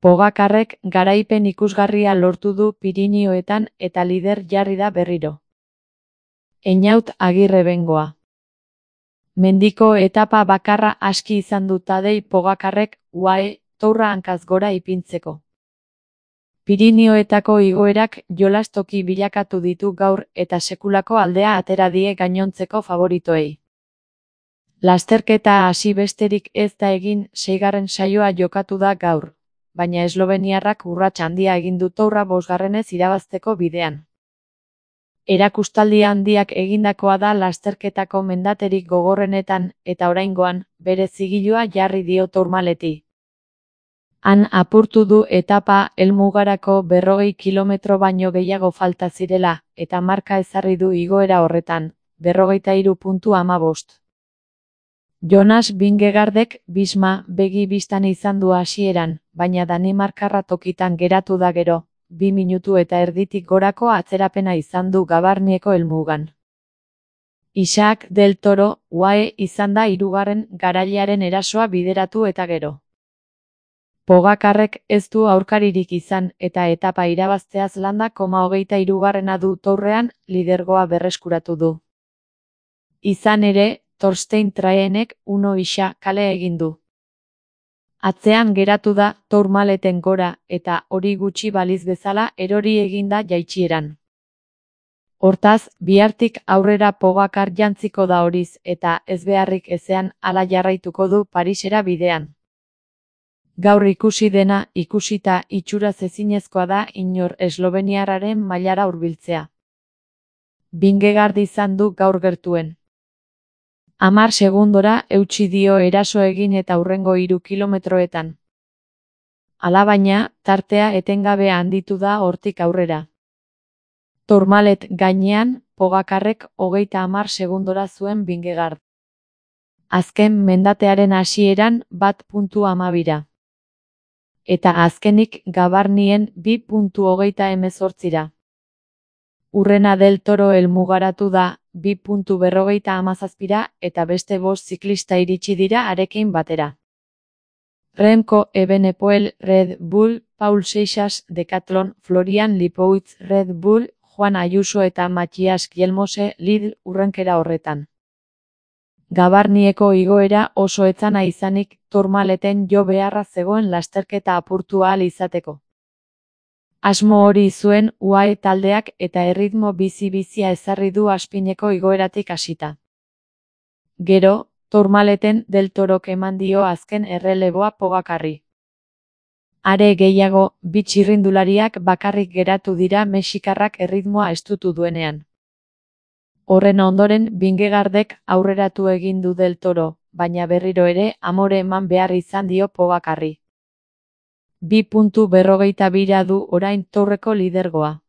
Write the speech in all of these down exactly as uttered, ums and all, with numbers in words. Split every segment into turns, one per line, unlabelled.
Pogacarrek garaipen ikusgarria lortu du Pirinioetan eta lider jarri da berriro. Einaut Agirre bengoa. Mendiko etapa bakarra aski izan du Tadej Pogacarrek U A E Tourra hankaz gora ipintzeko. Pirinioetako igoerak jolastoki bilakatu ditu gaur eta sekulako aldea atera die gainontzeko favoritoei. Lasterketa hasi besterik ez da egin, seigarren saioa jokatu da gaur, baina esloveniarrak urrats handia egin du Tourra bosgarrenez irabazteko bidean. Erakustaldi handiak egindakoa da lasterketako mendaterik gogorrenetan eta oraingoan bere zigilua jarri dio Tourmaleti. Han apurtu du etapa helmugarako berrogei kilometro baino gehiago falta zirela eta marka ezarri du igoera horretan, berrogeita hiru puntu hamabost. Jonas Vingegaardek Bisma begi bistan izan du hasieran, baina Danimarkarra tokitan geratu da gero, bi minutu eta erditik gorako atzerapena izan du Gavarnieko helmugan. Isaac del Toro U A E izan da hirugarren garailearen erasoa bideratu eta gero. Pogacarrek ez du aurkaririk izan eta etapa irabazteaz landa koma hogeita hirugarrena du Tourrean lidergoa berreskuratu du. Izan ere, Torstein Traenek uno isa kale egin du. Atzean geratu da Tourmaleten gora eta hori gutxi baliz bezala erori eginda jaitsieran. Hortaz, bihartik aurrera Pogacar jantziko da horiz eta ez beharrik ezean hala jarraituko du Parisera bidean. Gaur ikusi dena ikusita itxuraz ezinezkoa da inor esloveniarraren mailara hurbiltzea. Vingegaard izan du gaur gertuen. Hamar segundora eutsi dio eraso egin eta hurrengo hiru kilometroetan. Alabaina, tartea etengabe handitu da hortik aurrera. Tourmalet gainean, Pogacarrek hogeita hamar segundora zuen Vingegaard. Azken mendatearen hasieran bat puntu hamabira. Eta azkenik Gavarnien bi puntu hogeita hemezortzira. Urrena del Toro helmugaratu da bi puntu berrogeita hamazazpira eta beste bost ziklista iritsi dira harekin batera. Remco Evenepoel Red Bull, Paul Seixas Decathlon, Florian Lipovic Red Bull, Juan Ayuso eta Matthias Kjelmose Lidl urrenkera horretan. Gavarnieko igoera oso etzana izanik Tourmaleten jo beharra zegoen lasterketa apurtu ahal izateko. Asmo hori zuen U A E taldeak eta erritmo bizi-bizia ezarri du Aspineko igoeratik hasita. Gero, Tourmaleten del Torok eman dio azken erreleboa Pogacarri. Are gehiago, bi txirrindulariak bakarrik geratu dira mexikarrak erritmoa estutu duenean. Horren ondoren Vingegaardek aurreratu egin du del Toro, baina berriro ere amore eman behar izan dio Pogacarri. Bi puntu berrogeita bira du orain Tourreko lidergoa.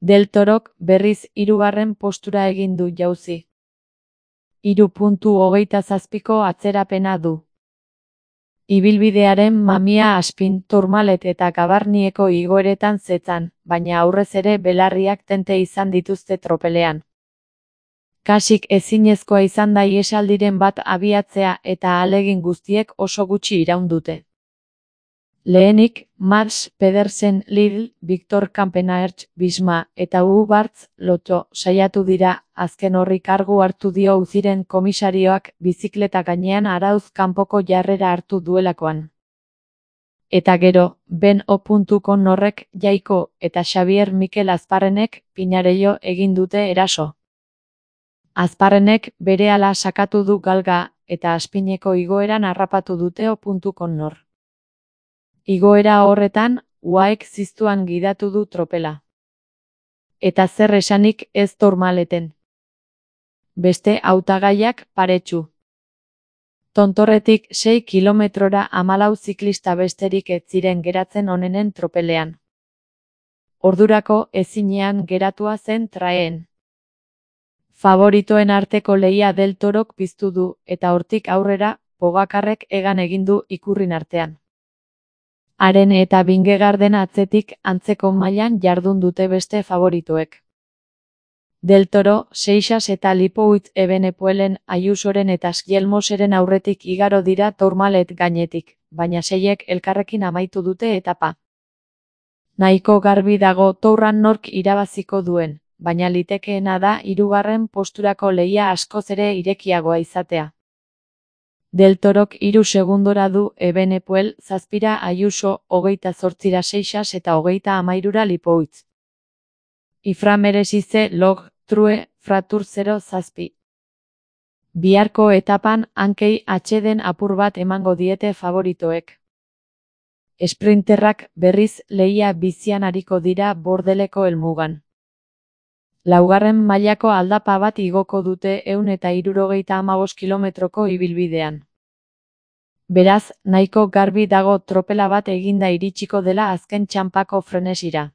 Del Torok berriz hirugarren postura egin du jauzi. Hiru puntu hogeita zazpiko atzerapena du. Ibilbidearen mamia Aspin, Tourmalet eta Gavarnieko igoeretan zetzan, baina aurrez ere belarriak tente izan dituzte tropelean. Kasik ezinezkoa izan da ihesaldiren bat abiatzea eta ahalegin guztiek oso gutxi iraun dute. Lehenik, Mads Pedersen Lidl, Victor Kampenaerts Bisma eta Ugo Bartz Lotto saiatu dira, azken horri kargu hartu dio Uziren komisarioak bizikleta gainean arauz kanpoko jarrera hartu duelakoan. Eta gero, Ben O. Connorrek Jaiko eta Xavier Mikel Azparrenek Pinarello egin dute eraso. Azparrenek berehala sakatu du galga eta Aspineko igoeran harrapatu dute O. Connor. Igoera horretan, U A Ek ziztuan gidatu du tropela. Eta zer esanik ez Tourmaleten. Beste hautagaiak paretsu. Tontorretik sei kilometrora hamalau ziklista besterik ez ziren geratzen onenen tropelean. Ordurako ezinean geratua zen Traeen. Favoritoen arteko lehia del Torok piztu du eta hortik aurrera Pogacarrek egan egin du ikurrin artean. Haren eta Vingegaarden atzetik antzeko mailan jardun dute beste favoritoek. Del Toro, Seixas eta Lipoutz Evenepoelen, Ayusoren eta Sjelmoseren aurretik igaro dira Tourmalet gainetik, baina seiek elkarrekin amaitu dute etapa. Nahiko garbi dago Tourran nork irabaziko duen, baina litekeena da hirugarren posturako lehia askoz ere irekiagoa izatea. Del Torok hiru segundora du Evenepoel, zazpira Ayuso, hogeita zortzira Seixas eta hogeita hamairura Lipoutz. Iframeresize log, true, fratur zero zazpi. Biharko etapan hankei atxeden apur bat emango diete favoritoek. Esprinterrak berriz lehia bizian ariko dira Bordeleko helmugan. Laugarren mailako aldapa bat igoko dute ehun eta hirurogeita hamabost kilometroko ibilbidean. Beraz, nahiko garbi dago tropela bat eginda iritsiko dela azken txanpako frenesira.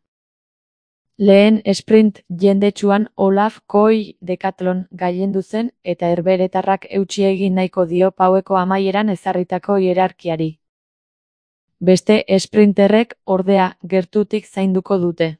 Lehen sprint jendetsuan Olaf Kooi Decathlon gailendu zen eta herberetarrak eutsi egin nahiko dio paueko amaieran ezarritako hierarkiari. Beste sprinterrek, ordea, gertutik zainduko dute.